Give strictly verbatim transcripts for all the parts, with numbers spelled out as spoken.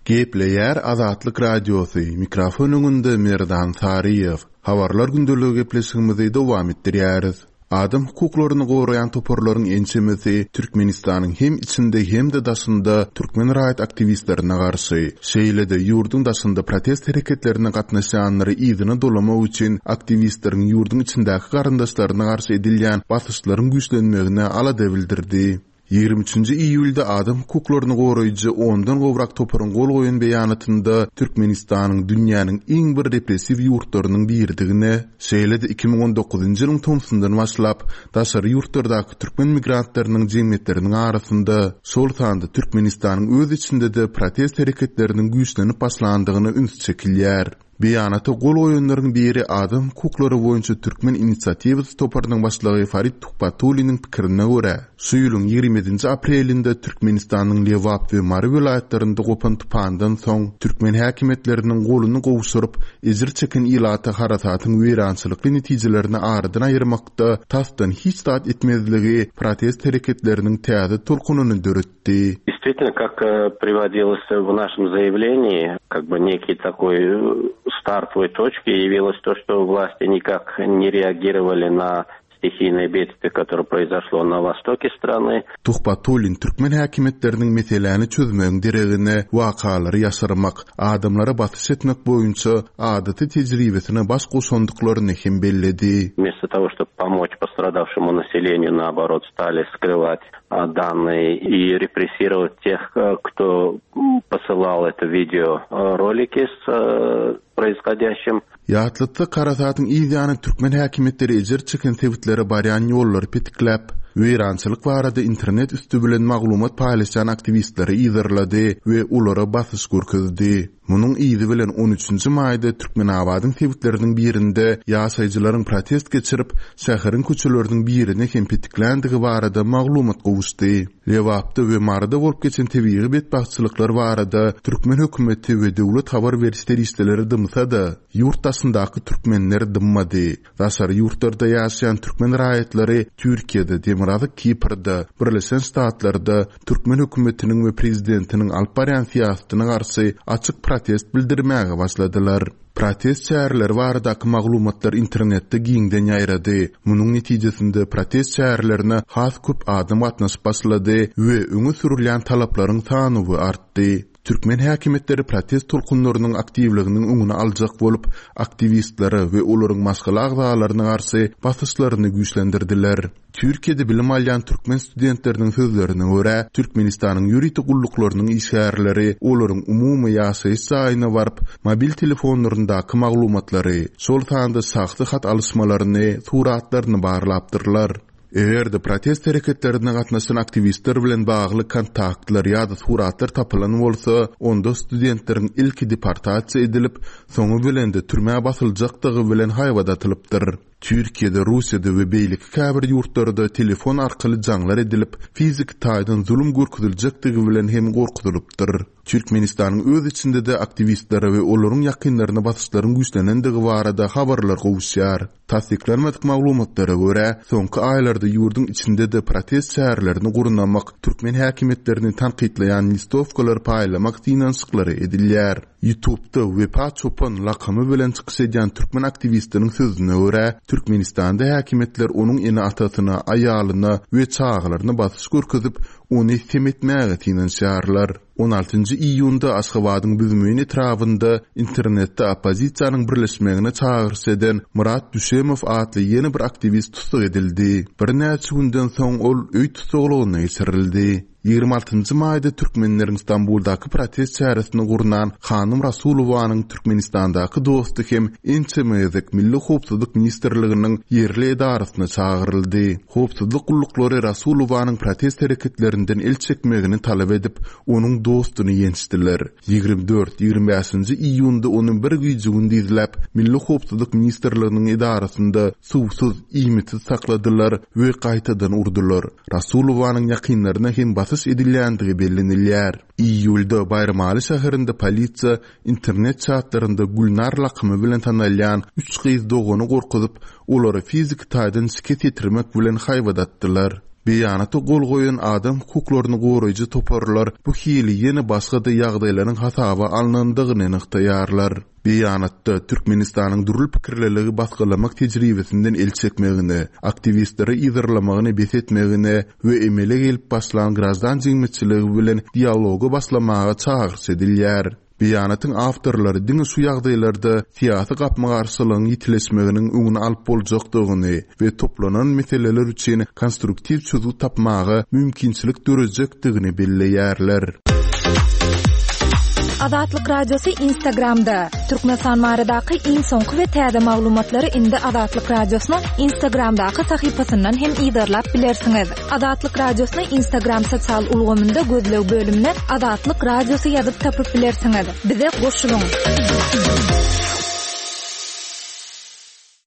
Gepleýär Azatlyk Radiosy, mikrofon öňünde Merdan Saryýew. Habarlar gündeligi gepleşigimizi dowam etdirýäris. Adam hukuklaryny goraýan toparlaryň ençemesi Türkmenistanyň hem içinde hem-de daşynda türkmen raýat aktiwistlerine garşy, şeýle-de ýurduň daşynda protest hereketlerine gatnaşýanlary yzyna dolamak üçin aktiwistleriň ýurduň içindäki garyndaşlaryna garşy edilýän basyşlaryň güýçlenmegine alada bildirdi. Ýigrimi üçünji iýulda adam hukuklaryny goraýjy ondan gowrak toparyň gol goýan beýanatynda Türkmenistanyň dünýäniň iň bir repressiw ýurtlarynyň biridigine, şeýle-de iki müň on dokuzynjy ýylyň tomsundan başlap daşary ýurtlardaky türkmen migrantlarynyň jemgyýetleriniň arasynda, şol sanda Türkmenistanyň öz içinde-de protest hereketleriniň güýçlenip başlandygyna üns çekilýär. Beýanata gol goýanlaryň biri adam hukuklary boýunça Türkmen inisiatiwasy toparynyň başlygy Farid Tuhbatulliniň pikirine görä, şu ýylyň ýigrimi ýedinji aprelinde Türkmenistanyň Lebap we Mary welaýatlarynda gopan tupandan soň türkmen häkimiýetleriniň goluny gowşuryp, ejir çeken ilata harasatyň weýrançylykly netijelerini aradan aýyrmakda tasdan hiç zat etmezligi protest hereketleriniň täze tolkunyny döretdi. Действительно, как, э, приводилось в нашем заявлении, как бы некий такой, э, стартовой точкой явилось то, что власти никак не реагировали на стихийное бедствие, которое произошло на востоке страны. Tuhbatullin türkmen häkimiýetleriniň meseläni çözmegiň deregine wakalary ýaşyrmak, adamlara basyş etmek boýunça adaty tejribesine baş goşandyklaryny hem belledi. Вместо того, чтобы помочь пострадавшему населению, наоборот, стали скрывать, а, данные и репрессировать тех, э, кто, м, посылал это видео, э, ролики с, э, происходящим. Ýatlatsa Karasatyň ýany türkmen häkimiýetleri ejir çeken sebitlere barýan ýollary petikläp, weýrançylyk barada internet üstü bilen maglumat paýlaşan aktiwistleri ýyzarlady we olara basyş görkezdi. Munuň yzy bilen on üçünji maýda Türkmenabadyň sebitleriniň birinde ýaşaýjylaryň protest geçirip, şäheriň köçeleriniň birine hem petikländigi barada maglumat gowuşdy. Lebapda we Maryda bolup geçen tebigy betbagtçylyklar barada türkmen hökümeti we döwlet habar beriş serişdeleri dymsa-da, ýurt daşyndaky türkmenler dymmady. Daşary ýurtlarda ýaşaýan türkmen raýatlary Türkiýede, Demirgazyk Kiprde, Birleşen Ştatlarda türkmen hökümetiniň we prezidentiniň alyp barýan syýasatyna garşy açyk protest bildirmäge başladylar. Protest çäreleri baradaky maglumatlar internetde giňden ýaýrady. Munuň netijesinde protest çärelerine has köp adam gatnaşyp başlady we öňe sürülýän talaplaryň sany artdy. Türkmen häkimiýetleri protest tolkunlarynyň aktiwliginiň öňüni aljak bolup, aktiwistlere we olaryň maşgala agzalaryna garşy basyşlaryny güýçlendirdiler. Türkiýede bilim alýan türkmen studentleriniň sözlerine görä, Türkmenistanyň ýörite gulluklarynyň işgärleri olaryň umumy ýaşaýyş jaýyna baryp, mobil telefonlaryndaky maglumatlary, şol sanda şahsy hat alyşmalaryny, suratlaryny barlapdyrlar. Eger-de protest hereketlerine gatnaşan aktiwistler bilen bagly kontaktlar ýa-da suratlar tapylan bolsa, onda studentleriň ilki deportasiýa edilip, soňy bilen de türmä basyljakdygy bilen haýbat atylypdyr. Türkiýede, Russiýada we beýleki käbir ýurtlarda telefon arkaly jaňlar edilip, fiziki taýdan zulum görkeziljekdigi bilen hem gorkuzylypdyr. Türkmenistanyň öz içinde-de aktiwistlere we olaryň ýakynlaryna basyşlaryň güýçlenendigi barada habarlar gowuşýar. Tassyklanmadyk maglumatlara görä, soňky aýlarda ýurduň içinde-de protest çärelerini gurnamak, türkmen häkimiýetlerini tankytlaýan listowkalary paýlamak synanyşyklary edilýär. YouTube'da Wepa Çopan lakamy bilen çykyş edýän türkmen aktiwistiniň sözüne görä, Türkmenistanda häkimiýetler onuň ene-atasyna, aýalyna we çagalaryna basyş görkezip, ony sem etmäge synanyşýarlar. On altynjy iýunda Aşgabadyň Büzmeýin etrabynda internetde oppozisiýanyň birleşmegine çagyryş eden Murat Düşemow atly ýene bir aktiwist tussag edildi. Birnäçe günden soň ol öý tussaglygyna geçirildi. Ýigrimi altynjy maýda türkmenleriň Stambuldaky protest çäresini gurnan Hanym Rasulowanyň Türkmenistandaky dosty hem ençeme gezek Milli Howpsuzlyk Ministrliginiň ýerli edarasyna çagyryldy. Howpsuzlyk gulluklary Rasulowanyň protest hereketlerinden el çekmegini talap edip, onuň dostuny ýençdiler. Ýigrimi dört, ýigrimi bäşinji iýunda ony bir güýji gün dizläp, Milli Howpsuzlyk Ministrliginiň edarasynda suwsuz, iýmitsiz sakladylar we gaýtadan urdular. Rasulowanyň ýakynlaryna hem basyş edilýändigi bellenilýär. Iýulda Baýramaly şäherinde polisiýa internet çatlarynda Gülnar lakamy bilen tanalýan üç gyz dogany gorkuzyp, olary fiziki taýdan şikes ýetirmek bilen haýbat atdylar. Beýanata gol goýan adam hukuklaryny goraýjy toparlar bu hili ýene başga-da ýagdaýlaryň hasaba alnandygyny nygtaýarlar. Beýanatda Türkmenistanyň dürli pikirliligi basgylamak tejribesinden el çekmegine, aktiwistleri yzarlamagyny bes etmegine we emele gelip başlan graždan jemgyýetçiligi bilen dialoga başlamaga çagyryş edilýär. Beýanatyň awtorlary diňe şu ýagdaýlarda syýasy gapma-garşylygyň ýitileşmeginiň öňüni alyp boljakdygyny we toplanan meseleler üçin konstruktiw çözgüt tapmaga mümkinçilik dörejekdigini belleýärler. Azatlyk Radiosy Instagramda. Türkmenistan baradaky iň soňky we täze maglumatlary indi Azatlyk Radiosynyň Instagramdaky sahypasyndan hem yzarlap bilersiňiz. Azatlyk Radiosyny Instagram sosial ulgamynda gözleg bölümine Azatlyk Radiosy ýazyp tapyp bilersiňiz. Bize goşulyň.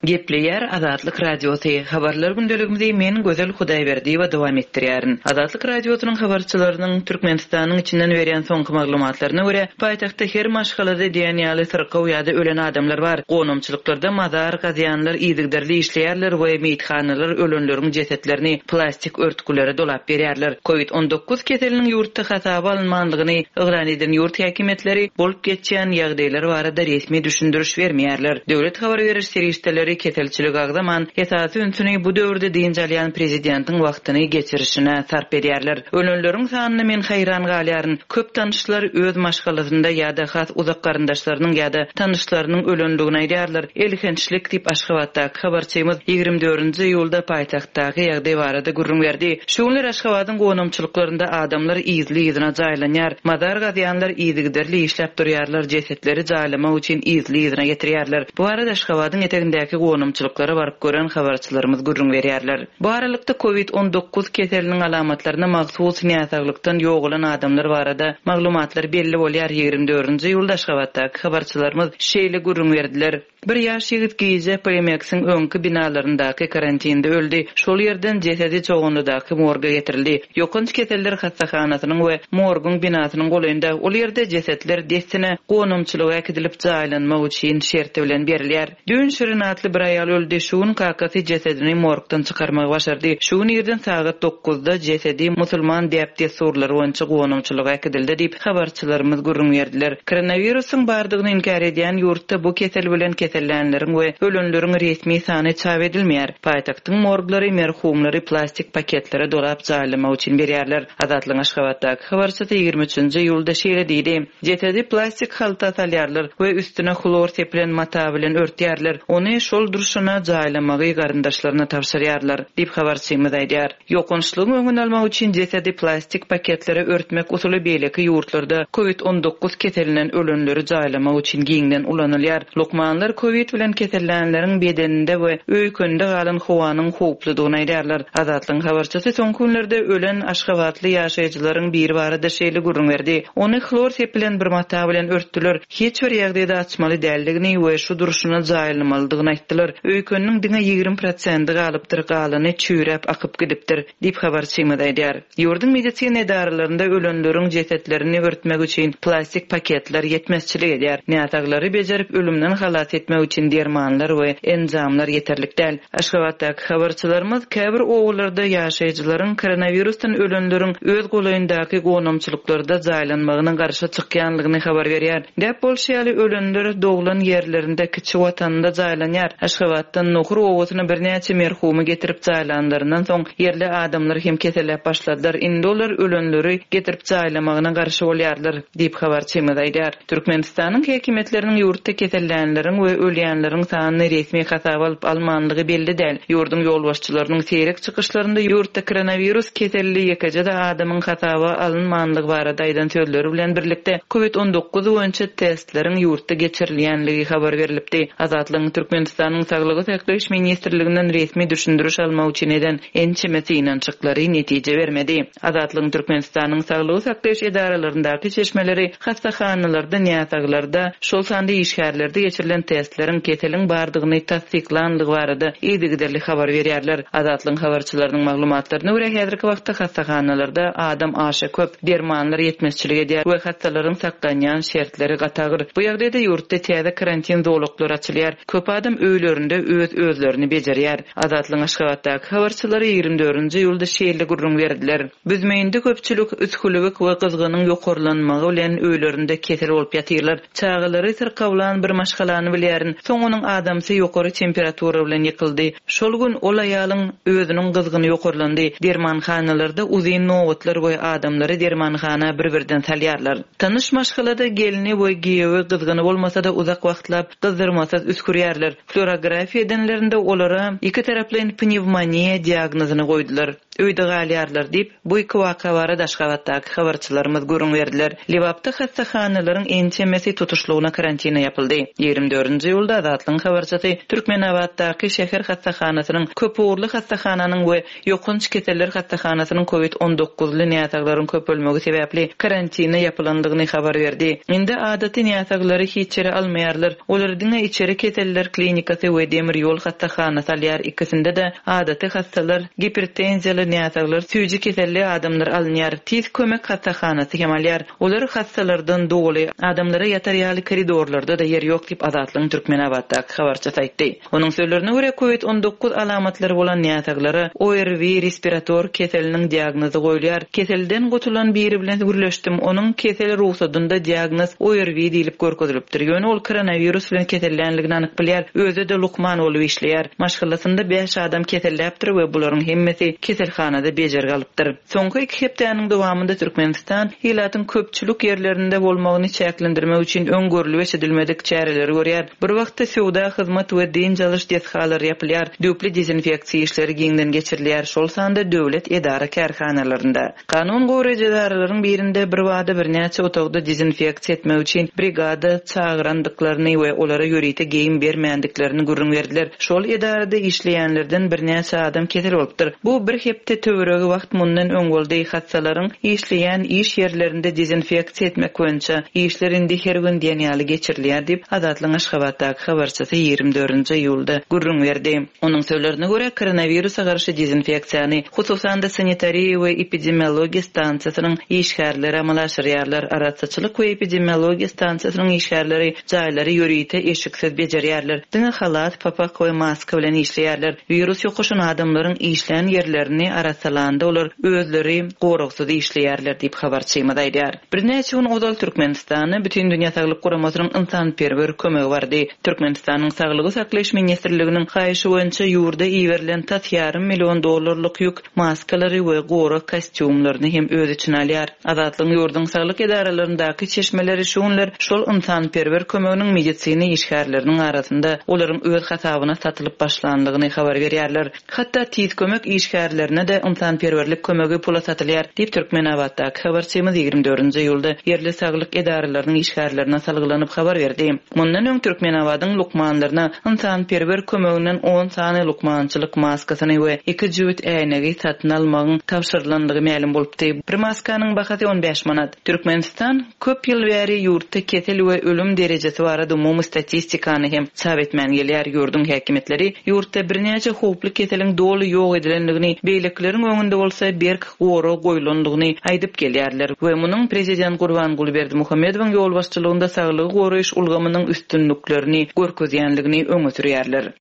Gepleýär Azatlyk Radiosy. Habarlar gündeligimizi men Gözel Hudaýberdiýewa dowam etdirýärin. Azatlyk Radiosynyň habarçylarynyň Türkmenistanyň içinden berýän soňky maglumatlaryna görä, paýtagtda her maşgalada diýen ýaly syrkaw ýa-da ölen adamlar bar. Gonamçylyklarda mazar gazýanlar yzygiderli işleýärler we meýithanalar ölenleriň jesetlerini plastik örtgülere dolap berýärler. Covid on dokuz keseliniň ýurtda hasaba alynmanlygyny yglan eden ýurt häkimiýetleri bolup geçýän ýagdaýlar barada resmi düşündiriş bermeýärler. Döwlet habar beriş serişdeleri keselçilik agzaman, esasy ünsüni bu döwürde dynç alýan prezidentiň wagtyny geçirişine sarp edýärler. Ölenleriň sanyna men haýran galýaryn. Köp tanyşlar öz maşgalasynda ýa-da has uzak garyndaşlarynyň ýa-da tanyşlarynyň ölenligini aýdýarlar. Elhençlik diýip Aşgabatdaky habarçymyz ýigrimi dördünji iýulda paýtagtdaky ýagdaý barada gürrüň berdi. Şu günler Aşgabadyň gonamçylyklarynda adamlar yzly-yzyna jaýlanýar. Mazar gazýanlar yzygiderli işläp durýarlar, jesetleri jaýlamak üçin yzly-yzyna getirýärler. Bu arada Aşgabadyň etegindäki gonamçylyklara baryp gören habarçylarymyz gürrüň berýärler. Bu aralykda Covid on dokuz keseliniň alamatlaryna mahsus näsaglykdan ýogalan adamlar barada maglumatlar belli bolýar. Ýigrimi dördünji iýulda Aşgabatdaky habarçylarymyz şeýle gürrüň berdiler. Bir ýaş ýigit gije P M X-iň öňki binalaryndaky karantinde öldi. Şol ýerden jesedi Çoganlydaky morga getirildi. Ýokanç keseller hassahanasynyň we morguň binasynyň golaýynda ol ýerde jesetler dessine gonamçylyga äkidilip jaýlanmak üçin şerti bilen berilýär. Düýn Şirin atly bir aýal öldi. Şu gün kakasy jesedini morgdan çykarmagy başardy. Şu gün irden sagat dokuzda jesedi musulman däp-dessurlary boýunça gonamçylyga äkidildi diýip habarçylarymyz gürrüň berdiler. Koronawirusyň bardygyny inkär edýän ýurtda bu kesel bilen kesellänleriň we ölenleriň resmi sany çap edilmeýär. Paýtagtyň morglary merhumlary plastik paketlere dolap jaýlamak üçin berýärler. Azatlyk Aşgabatdaky habarçysy ýigrimi üçünji iýulda şeýle diýdi. Jesedi plastik halta salýarlar we üstüne hlor sepilen mata bilen örtýärler. Ony şol durşuna jaýlamagy garyndaşlaryna tabşyrýarlar diýip habarçymyz aýdýar. Ýokançlygyň öňüni almak üçin jesedi plastik paketlere örtmek usuly beýleki ýurtlarda Covid on dokuz keselinden ölenleri jaýlamak üçin giňden ulanylýar. Lukmanlar Covid bilen kesellänleriň bedeninde we öýkünde galan howanyň howpludygyny aýdýarlar. Azatlygyň habarçysy soňky günlerde ölen Aşgabatly ýaşaýjylaryň biri barada şeýle gürrüň berdi. Ony hlor sepilen bir mata bilen örtdüler. Hiç bir ýagdaýda açmaly däldigini we şu durşuna jaýlamalydygyny aýtdylar. Öýküniniň diňe ýigrimi prosendi galypdyr, galany çüýräp akyp gidipdir diýip habarçymyz aýdýar. Ýurduň medisina edaralarynda ölenleriň jesetlerini örtmek üçin plastik paketler ýetmezçilik edýär. Näsaglary bejerip ölümden halas etmek üçin dermanlar we enjamlar ýeterlik däl. Aşgabatdaky habarçylarymyz käbir obalarda ýaşaýjylaryň koronavirusdan ölenleriň öz golaýyndaky gonamçylyklarda jaýlanmagyna garşy çykýanlygyny habar berýär. Däp bolşy ýaly ölenler doglan ýerlerinde kiçi watanynda jaýlanýar. Aşgabatdan Nohur obasyna birnäçe merhumy getirip jaýlanlaryndan soň ýerli adamlar hem keselläp başladylar. Indi olar ölenleri getirip jaýlamagyna garşy bolýarlar diýip habarçymyz aýdýar. Türkmenistanyň häkimiýetleriniň ýurtda kesellänleriň we ölýänleriň sanyny resmi hasaba alyp almanlygy belli däl. Ýurduň ýolbaşçylarynyň seýrek çykyşlarynda ýurtda koronavirus keselli ýekeje-de adamyň hasaba alynmanlygy barada aýdan sözleri bilen birlikde Covid on dokuz boýunça testleriň ýurtda geçirilýänligi habar berilipdi. Azatlygyň Türkmenistanyň Saglygy saklaýyş ministrliginden resmi düşündiriş almak üçin eden ençeme synanyşyklary netije bermedi. Azatlygyň Türkmenistanyň Saglygy saklaýyş edaralaryndaky çeşmeleri hassahanalarda, näsaglarda, şol sanda işgärlerde geçirilen testleriň testleriň keseliň bardygyny tassyklandygy barada yzygiderli habar berýärler. Azatlygyň habarçylarynyň maglumatlaryna görä, häzirki wagtda hassahanalarda adam aşa köp, dermanlar ýetmezçilik edýär we hassalaryň saklanýan şertleri gaty agyr. Bu ýagdaýda ýurtda täze karantin zolaklary açylýar. Köp adam öýlerinde öz özlerini bejerýär. Azatlygyň Aşgabatdaky habarçylary ýigrimi dördünji iýulda şeýle gürrüň berdiler. Büzmeýinde köpçülik üsgülewük we gyzgynyň ýokarlanmagy bilen öýlerinde kesel bolup ýatyrlar. Çagalary syrkawlan bir maşgalany bilýärin. Soň onuň adamsy ýokary temperatura bilen ýykyldy. Şol gün ol aýalyň özüniň gyzgyny ýokarlandy. Dermanhanalarda uzyn nobatlar we adamlary dermanhana bir-birden salýarlar. Tanyş maşgalada gelni we giýewi gyzgyny bolmasa-da uzak wagtlap gyzdyrmasyz üskürýärler. Fluorografiýa edenlerinde olara iki taraplaýyn pnewmoniýa diagnozyny goýdular. Öýde galýarlar diýip, bu iki waka barada Aşgabatdaky habarçylarymyz gürrüň berdiler. Lebapda hassahanalaryň ençemesi tutuşlygyna karantina ýapyldy. Ýigrimi dördünji iýulda Azatlygyň habarçysy Türkmenabatdaky şäher hassahanasynyň, köpugurly hassahananyň we ýokanç keseller hassahanasynyň COVID on dokuzly näsaglaryň köpelmegi sebäpli karantina ýapylandygyny habar berdi. Indi adaty näsaglary hiç ýere almaýarlar. Olar diňe içeri keseller klinikasy we demir ýol hassahanasy alýar. Ikisinde-de adaty hassalar, gipertenziýaly näsaglar, süýji keselli adamlar alynýar. Tiz kömek hassahanasy hem alýar. Olar hassalardan doly, adamlara ýatar ýaly koridorlarda da ýer ýok diýip Azatlygyň Türkmenabatdaky habarçysy aýtdy. Onuň sözlerine görä COVID on dokuz alamatlary bolan näsaglara O R V respirator keseliniň diagnozy goýulýar. Keselden gutulan biri bilen gürleşdim. Onuň kesel ruhsadynda diagnoz O R V diýilip görkezilipdir. Ýöne ol koronavirus bilen kesellänligini anyk bilýär. Özi de lukman bolup işleýär. Maşgalasynda bäş adam keselläpdir we bularyň hemmesi keselhanada bejergi alypdyr. Soňky iki hepdäniň dowamynda Türkmenistan ilatyň köpçülik ýerlerinde bolmagyny çäklendirmek üçin öň görülip eşidilmedik çäreleri görýär. Bir wagtda söwda, hyzmat we dynç alyş desgalary ýapylýar. Döwlet dezinfeksiýa işleri giňden geçirilýär, şol sanda döwlet edara kärhanalarynda. Kanun goraýjy edaralaryň birinde bir wada birnäçe otagda dezinfeksiýa etmek üçin brigada çagyrandyklaryny we olara ýörite geýim bermändiklerini gürrüň berdiler. Şol edarada işleýänlerden birnäçe adam kesel bolupdyr. Bu bir hepde töweregi wagt mundan öň boldy. Hassalaryň işleýän iş ýerlerinde dezinfeksiýa etmek boýunça işler indi her gün diýen ýaly geçirilýär diýip Azatlygyň Aşgabatdaky habarçysy ýigrimi dördünji iýulda gürrüň berdi. Onuň sözlerine görä koronawirusa garşy dezinfeksiýany hususan-da sanitariýa we epidemiologiýa stansiýasynyň işgärleri amala aşyrýarlar. Arassaçylyk we epidemiologiýa stansiýasynyň işgärleri jaýlary ýörite eşiksiz bejerýärler. Diňe halat, papak we maska bilen işleýärler. Wirus ýokaşan adamlaryň işlän ýerlerini arassalanda olar özleri goragsyz işleýärler diýip habarçymyz aýdýar. Birnäçe gün ozal Türkmenistana Bütindünýä Saglyk Guramasynyň ynsanperwer kömegi bardy. Türkmenistanyň Saglygy saklaýyş ministrliginiň haýyşy boýunça ýurda iberilen tas ýarym million dollarlyk ýük maskalary we gorag kostýumlaryny hem öz içine alýar. Azatlygyň ýurduň saglyk edaralaryndaky çeşmeleri şu günler şol ynsanperwer kömeginiň medisina işgärleriniň arasynda olaryň öz hasabyna satylyp başlandygyny habar berýärler. Hatda tiz kömek işgärlerine de ynsanperwerlik kömegi pula satylýar diýip Türkmenabatdaky habarçymyz ýigrimi dördünji iýulda ýerli saglyk edaralarynyň işgärlerine salgylanyp habar berdi. Mundan öň Türkmenabadyň lukmanlaryna ynsanperwer kömeginden on sany lukmançylyk maskasyny we iki jübüt äýnegi satyn almagyň tabşyrylandygy mälim bolupdy. Bir maskanyň bahasy on bäş manat. Türkmenistan köp ýyl bäri ýurtda kesel we ölüm derejesi barada umumy statistikany hem çap etmän gelýär. Ýurduň häkimiýetleri ýurtda birnäçe howply keseliň doly ýok edilendigini, beýlekileriň öňünde bolsa berk gorag goýulandygyny aýdyp gelýärler we munuň prezident Gurbanguly Berdimuhamedowyň ýolbaşçylygynda saglygy goraýyş ulgamynyň üstünliklerini görkezýänligini öňe sürýärler.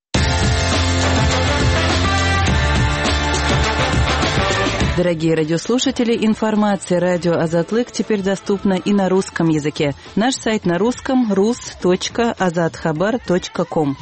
Дорогие радиослушатели, информация радио Азатлык теперь доступна и на русском языке. Наш сайт на русском рус точка азатхабар точка ком.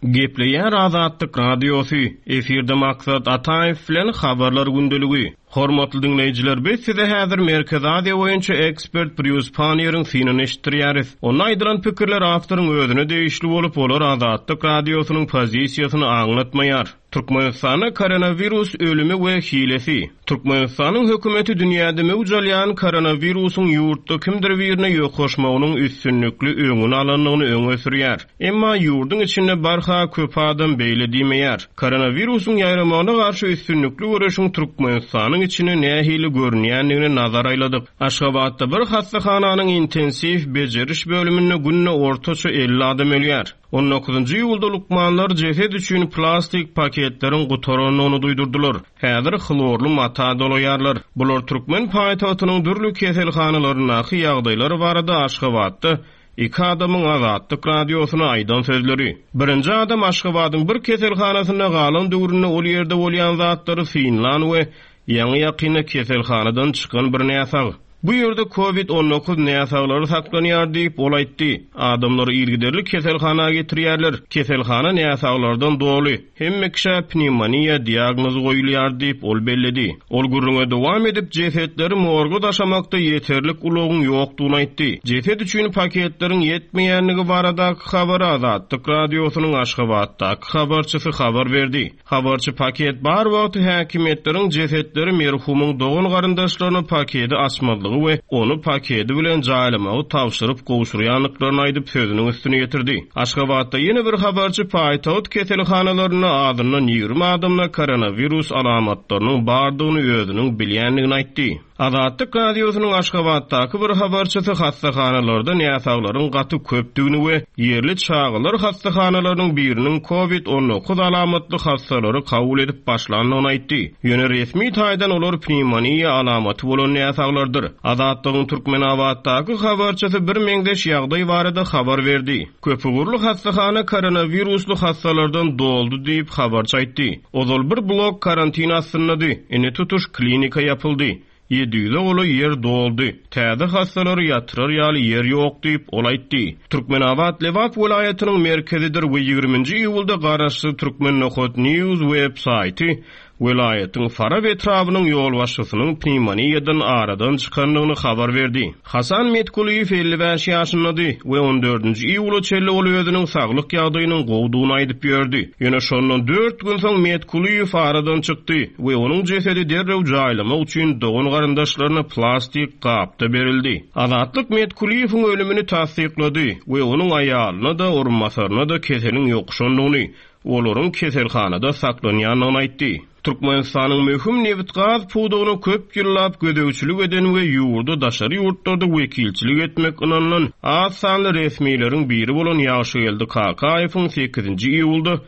Gepleýär Azatlyk radiosy, efirde Maksat Ataýew bilen habarlar gündeligi. Hormatly dinleýjiler, biz size häzir Merkezi Aziýa boýunça ekspert Brýus Panniýeriň synyny eşitdirýäris. Onda aýdylan pikirler awtoryň özüne degişli bolup, olar Azatlyk radiosynyň pozisiýasyny aňlatmaýar. Türkmenistanda koronawirus ölümi we hilesi. Türkmenistanyň hökümeti dünýäde möwç alýan koronawirusyň ýurtda kimdir birine ýokaşmagynyň üstünlikli öňüni alandygyny öňe sürýär. Emma ýurduň içinde barha köp adam beýle diýmeýär. Koronawirusyň ýaýramagyna garşy üstünlikli göreşiň Türkmenistanyň keselhanalaryň içine nähili görünýändigine nazar aýladyk. Aşgabatda bir hassahananyň intensiw bejeriş bölüminde günde ortaça elli adam ölýär. On dokuzynjy iýulda lukmanlar jeset üçin plastik paketleriň gutarandygyny duýdurdylar. Häzir hlorly mata dolaýarlar. Bular türkmen paýtagtynyň dürli keselhanalaryndaky ýagdaýlar barada Aşgabatda iki adamyň Azatlyk radiosyna aýdan sözleri. Birinji adam Aşgabadyň bir keselhanasynda galan döwründe ol ýerde bolýan zatlary synlan we ýaňy ýakynda keselhanadan çykan bir näsag. Bu ýerde COVID on dokuz näsaglary saklanýar diýip ol aýtdy. Adamlary yzygiderli keselhana getirýärler. Keselhana näsaglardan doly. Hemme kişä pnevmoniýa diagnozy goýulýar diýip ol belledi. Ol gürrüňe dowam edip jesetleri morga daşamakda ýeterlik ulagyň ýokdugyny aýtdy. Jeset üçin paketleriň ýetmeýänligi baradaky habary Azatlyk radiosynyň Aşgabatdaky habarçysy habar berdi. Habarçy paket bar wagty häkimiýetleriň jesetleri merhumyň dogan garyndaşlaryna paketi açmazlygy we ony paketi bilen jaýlamagy tabşyryp gowşurýandyklaryny aýdyp sözüniň üstüne ýetirdi. Aşgabatda ýene bir habarçy paýtagt keselhanalarynda azyndan ýigrimi adamda koronawirus alamatlarynyň bardygyny özüniň bilýändigini aýtdy. Azatlyk radiosynyň Aşgabatdaky bir habarçysy hassahanalarda näsaglaryň gaty köpdügini we ýerli çagalar hassahanalarynyň biriniň COVID on dokuz alamatly hassalary kabul edip başlandygyny aýtdy. Ýöne resmi taýdan olar pnevmoniýa alamaty bolan näsaglardyr. Azatlygyň Türkmenabatdaky habarçysy bir meňzeş ýagdaý barada habar berdi. Köpugurly hassahana koronawirusly hassalardan doldy diýip habarçy aýtdy. Ozal bir blok karantin astyndady. Indi tutuş klinika ýapyldy. Ýedi ýüze golaý ýer doldy. Täze hassalary ýatyrar ýaly ýer ýok diýip ol aýtdy. Türkmenabat Lebap welaýatynyň merkezidir we ýigriminji iýulda garaşsyz Türkmen Nohut News web saýty welaýatyň Farap etrabynyň ýolbaşçysynyň pnevmoniýadan aradan çykandygyny habar berdi. Hasan Metkuliýew elli bäş ýaşyndady we on dördünji iýula çenli ol özüniň saglyk ýagdaýynyň gowdugyny aýdyp ýördi. Ýöne şondan dört gün soň Metkuliýew aradan çykdy we onuň jesedi derrew jaýlamak üçin dogan garyndaşlaryna plastik gapda berildi. Azatlyk Metkuliýewiň ölümini tassyklady we onuň aýalyna da orunbasaryna da keseliň ýokuşandygyny, olaryň keselhanada saklanýandygyny aýtdy. Türkmenistanyň möhüm nebit-gaz pudagyna köp ýyllap gözegçilik eden we ýurda daşary ýurtlarda wekilçilik etmek ynanylan az sanly resmileriň biri bolan Ýagşygeldi Kakaýewiň sekizinji iýulda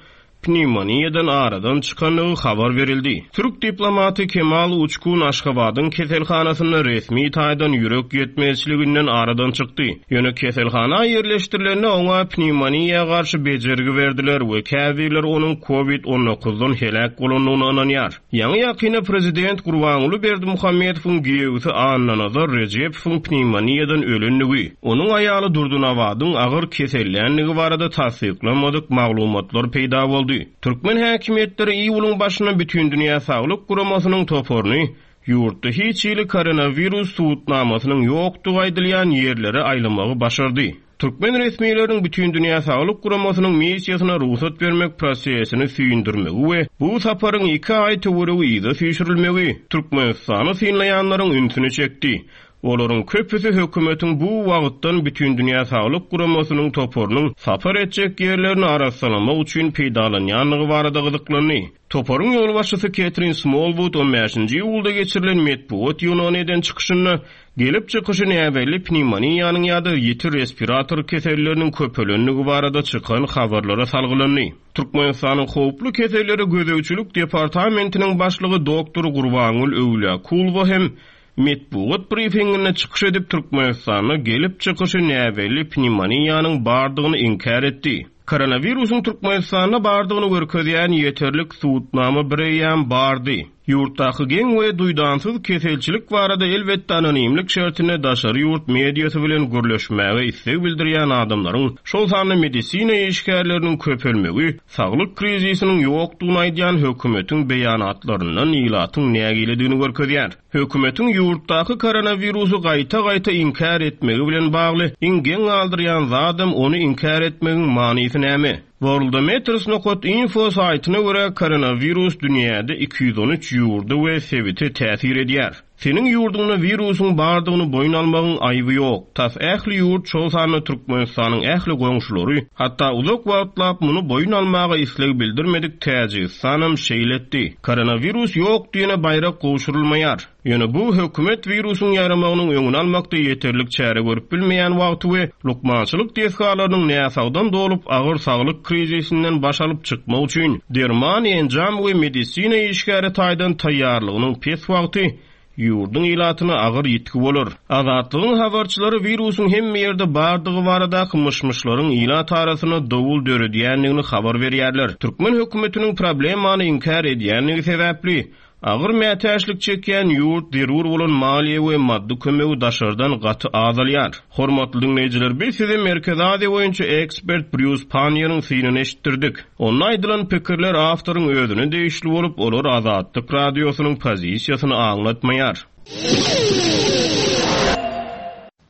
pnevmoniýadan aradan çykandygy habar berildi. Türk diplomaty Kemal Uçkun Aşgabadyň keselhanasynda resmi taýdan ýürek ýetmezçiliginden aradan çykdy. Ýöne keselhana ýerleşdirilende oňa pnevmoniýa garşy bejergi berdiler we käbirler onuň COVID on dokuzdan heläk bolandygyny ynanýar. Ýaňy ýakynda prezident Gurbanguly Berdimuhamedowyň giýewisi Annanazar Rejepowyň pnevmoniýadan ölendigi, onuň aýaly Durdynabadyň agyr kesellendigi barada tassyklanmadyk maglumatlar peýda boldy. Türkmen häkimiýetleri iýulyň başyna Bütindünýä Saglyk Guramasynyň toparyny ýurtda hiç hili koronawirus subutnamasynyň ýokdugy aýdylýan ýerlere aýlamagy başardy. Türkmen resmileriniň Bütindünýä Saglyk Guramasynyň missiýasyna rugsat bermek prosesini süýndürmegi we bu saparyň iki aý töweregi yza süýşürilmegi Türkmenistany synlaýanlaryň ünsüni çekdi. Olaryň köpüsi hökümetiň bu wagtdan Bütindünýä Saglyk Guramasynyň toparynyň sapar etjek ýerlerini arassalamak üçin peýdalanýandygy barada gyzyklandy. Toparyň ýolbaşçysy Ketrin Smallwood on bäşinji iýulda geçirilen metbugat ýygnagyna eden çykyşynda gelip çykyşy näbelli pnevmoniýanyň ýa-da ýiti respirator keselleriniň köpelendigi barada çykan habarlara salgylandy. Türkmenistanyň howply kesellere gözegçilik departamentiniň başlygy doktor Gurbangül Öwlüakulowa hem metbugat briefinginde çykyş edip Türkmenistanda gelip çykyşy näbelli pnevmoniýanyň bardygyny inkär etdi. Koronawirusyň Türkmenistanda bardygyny görkezýän ýeterlik subutnama bir eýýäm bardy. Ýurtdaky geň we duýdansyz keselçilik barada elbetde anonimlik şertinde daşary ýurt mediasy bilen gürleşmäge isleg bildirýän adamlaryň, şol sanda medisina işgärleriniň köpelmegi, saglyk krizisiniň ýokdugyny aýdýan hökümetiň beýanatlaryndan ilatyň nägiledigini görkezýär. Hökümetiň ýurtdaky koronawirusy gaýta-gaýta inkär etmegi bilen bagly iň geň galdyrýan zadam ony inkär etmegiň manysy näme? Worldometers nokta info saýtyna görä koronawirus dünýäde iki ýüz on üç ýurda we sebite täsir edýär. Seniň ýurduňda wirusyň bardygyny boýun almagyň aýby ýok. Tas ähli ýurt, şol sanda Türkmenistanyň ähli goňşulary, hatda uzak wagtlap muny boýun almaga isleg bildirmedik Täjigistanam şeýle etdi. Koronawirus ýok diýene baýrak gowşurylmaýar. Ýöne bu hökümet wirusyň ýaýramagynyň öňüni almakda ýeterlik çäre görüp bilmeýän wagty we lukmançylyk desgalarynyň näsagdan dolup agyr saglyk krizisinden baş alyp çykmak üçin derman, enjam we medisina işgäri taýdan taýýarlygynyň pes wagty ýurduň ilatyna agyr ýitgi bolar. Azatlygyň habarçylary wirusyň hemme ýerde bardygy baradaky myş-myşlaryň ilat arasynda dowul döredýändigini habar berýärler. Türkmen hökümetiniň problemany inkär edýändigi sebäpli agyr mätäçlik çekýän ýurt zerur bolan maliýe we maddy kömegi daşardan gaty azalýar. Hormatly dinleýjiler, biz size Merkezi Aziýa boýunça ekspert Brýus Panniýeriň synyny eşitdirdik. Onda aýdylan pikirler awtoryň özüne degişli bolup, olar Azatlyk radiosynyň pozisiýasyny aňlatmaýar.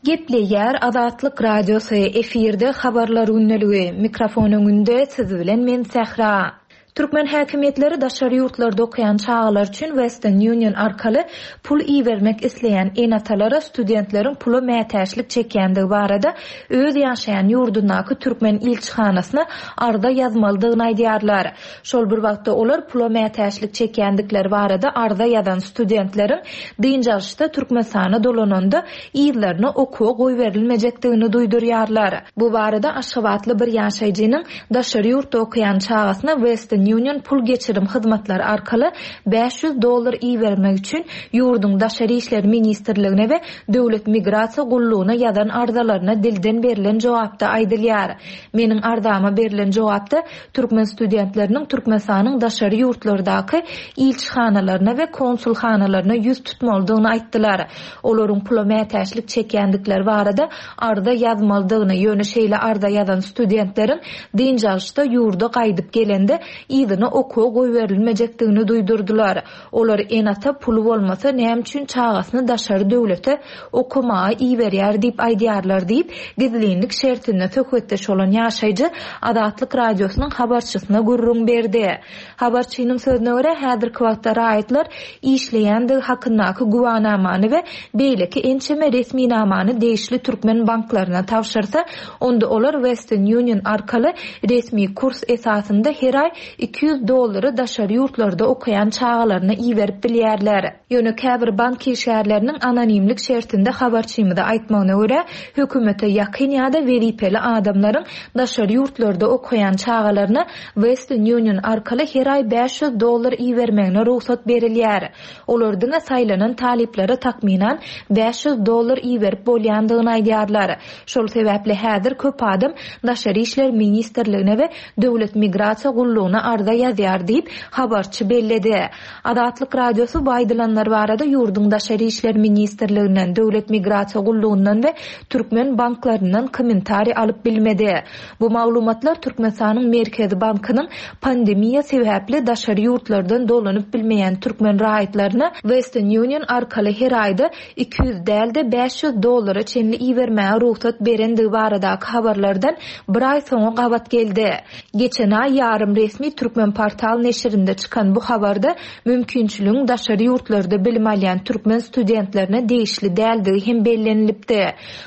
Gepleýär Azatlyk Radiosy, efirde habarlar gündeligi, mikrofon öňünde siz bilen men Sähra. Türkmen häkimiýetleri daşary ýurtlarda okaýan çagalar üçin Western Union arkaly pul ibermek isleýän ene-atalara studentleriň pula mätäçlik çekýändigi barada öz ýaşaýan ýurdundaky türkmen ilçihanasyna arza ýazmalydygyny aýdýarlar. Şol bir wagtda olar pula mätäçlik çekýändikleri barada arza ýazan studentleriň dynç alyşda Türkmenistana dolananda ýyllaryna okuwa goýberilmejekdigini duýdurýarlar. Bu barada Aşgabatly bir ýaşaýjynyň daşary ýurtda okaýan çagasyna Western Union pul geçirim hyzmatlary arkaly bäş ýüz dollar ibermek üçin ýurduň Daşary işler ministrligine we Döwlet migrasiýa gullugyna ýazan arzalaryna dilden berilen jogapda aýdylýar. Meniň arzama berilen jogapda türkmen studentleriniň Türkmenistanyň daşary ýurtlardaky ilçihanalaryna we konsulhanalaryna ýüz tutmalydygyny aýtdylar. Olaryň pula mätäçlik çekýändikleri barada arza ýazmalydygyny, ýöne şeýle arza ýazan studentleriň dynç alyşda ýurda gaýdyp gelende yzyna okuwa goýberilmejekdigini duýdurdylar. Olar ene-ata puly bolmasa näme üçin çagasyny daşary döwlete okamaga iberýär diýip aýdýarlar diýip, gizlinlik şertinde söhbetdeş bolan ýaşaýjy Azatlyk Radiosynyň habarçysyna gürrüň berdi. Habarçynyň sözüne görä, häzirki wagtda raýatlar işleýändigi hakyndaky güwanamany we beýleki ençeme resminamany degişli türkmen banklaryna tabşyrsa, onda olar Western Union arkaly resmi kurs esasynda her aý iki ýüz dollary daşary ýurtlarda okaýan çagalaryna iberip bilýärler. Ýöne käbir bank işgärleriniň anonimlik şertinde habarçymyza aýtmagyna görä, hökümete ýakyn ýa-da wezipeli adamlaryň daşary ýurtlarda okaýan çagalaryna Western Union arkaly her aý bäş ýüz dollar ibermegine rugsat berilýär. Olar diňe saýlanan talyplara takmynan bäş ýüz dollar iberip bolýandygyny aýdýarlar. Şol sebäpli häzir köp adam Daşary işler ministrligine we Döwlet migrasiýa gullugyna arza ýazýar diýip, habarçy belledi. Azatlyk Radiosy bu aýdylanlar barada ýurduň Daşary işler ministrliginden, Döwlet migrasiýa gullugyndan we türkmen banklaryndan kommentariý alyp bilmedi. Bu maglumatlar Türkmenistanyň Merkezi bankynyň pandemiýa sebäpli daşary ýurtlardan dolanyp bilmeýän türkmen raýatlaryna Western Union arkaly her aýda iki ýüz däl-de bäş ýüz dollara çenli ibermäge rugsat berendigi baradaky habarlardan bir aý soňa gabat geldi. Geçen aý ýarym resmi Türkmen portal neşirinde çykan bu habarda mümkinçiligiň daşary ýurtlarda bilim alýan türkmen studentlerine degişli däldigi hem bellenilipdi.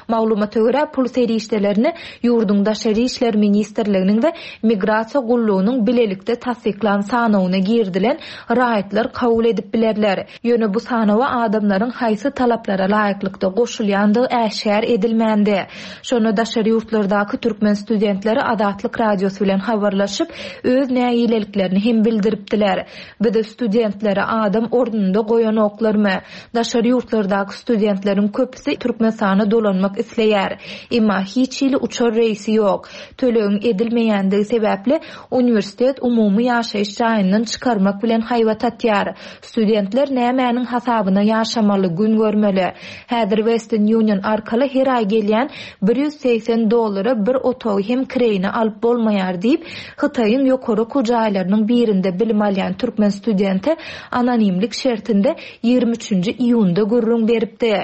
Maglumata görä, pul serişdelerini ýurduň Daşary işler ministrliginiň we migrasiýa gullugynyň bilelikde tassyklan sanawyna girdilen raýatlar kabul edip bilerler. Ýöne bu sanawa adamlaryň haýsy talaplara laýyklykda goşulýandygy äşgär edilmändi. Şonda daşary ýurtlardaky türkmen studentleri Azatlyk Radiosy bilen habarlaşyp, öz nägileliklerini hem bildiripdiler. Bizi studentlere adam ornunda goýanoklarmy? Daşary ýurtlardaky studentleriň köpüsi Türkmenistana dolanmak isleýär. Emma hiç hili uçar reýsi ýok. Tölegiň edilmeýändigi sebäpli uniwersitet umumy ýaşaýyş jaýyndan çykarmak bilen haýbat atýar. Studentler nämäniň hasabyna ýaşamaly, gün görmeli. Häzir Western Union arkaly her aý gelýän bir ýüz segsen dollara bir otagy hem kireýine alyp bolmaýar diýip, Hytaýyň ýokary okuw jaýlarynyň birinde bilim alýan türkmen studenti anonimlik şertinde ýigrimi üçünji iýunda gürrüň beripdi.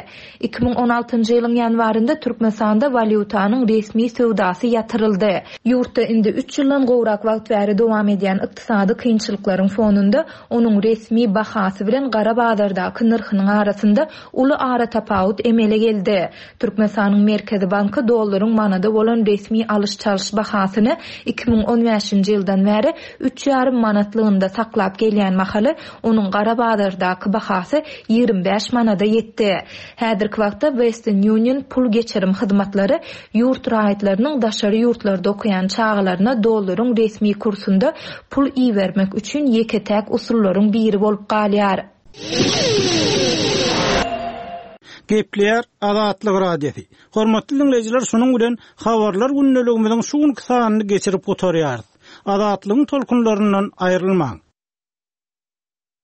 Iki müň on altynjy ýylyň ýanwarynda Türkmenistanda walýutanyň resmi söwdasy ýatyryldy. Ýurtda indi üç ýyldan gowrak wagt bäri dowam edýän ykdysady kynçylyklaryň fonunda onuň resmi bahasy bilen gara bazardaky nyrhynyň arasynda uly aratapawut emele geldi. Türkmenistanyň Merkezi banky dollaryň manada bolan resmi alyş-çalyş bahasyny iki müň on bäşinji ýyldan bäri üç ýarym manatlygynda saklap gelýän mahaly onuň gara bazardaky bahasy ýigrimi bäş manada ýetdi. Häzirki wagtda Western Union pul geçirim hyzmatlary ýurt raýatlarynyň daşary ýurtlarda okaýan çagalaryna dollaryň resmi kursunda pul ibermek üçin ýeke-täk usullaryň biri bolup galýar. Gepleýär Azatlyk Radiosy. Hormatly dinleýjiler, şunuň bilen habarlar gündeligimiziň şu günki sanyny geçirip gutarýarys. Azatlygyň tolkunlaryndan aýrylmaň.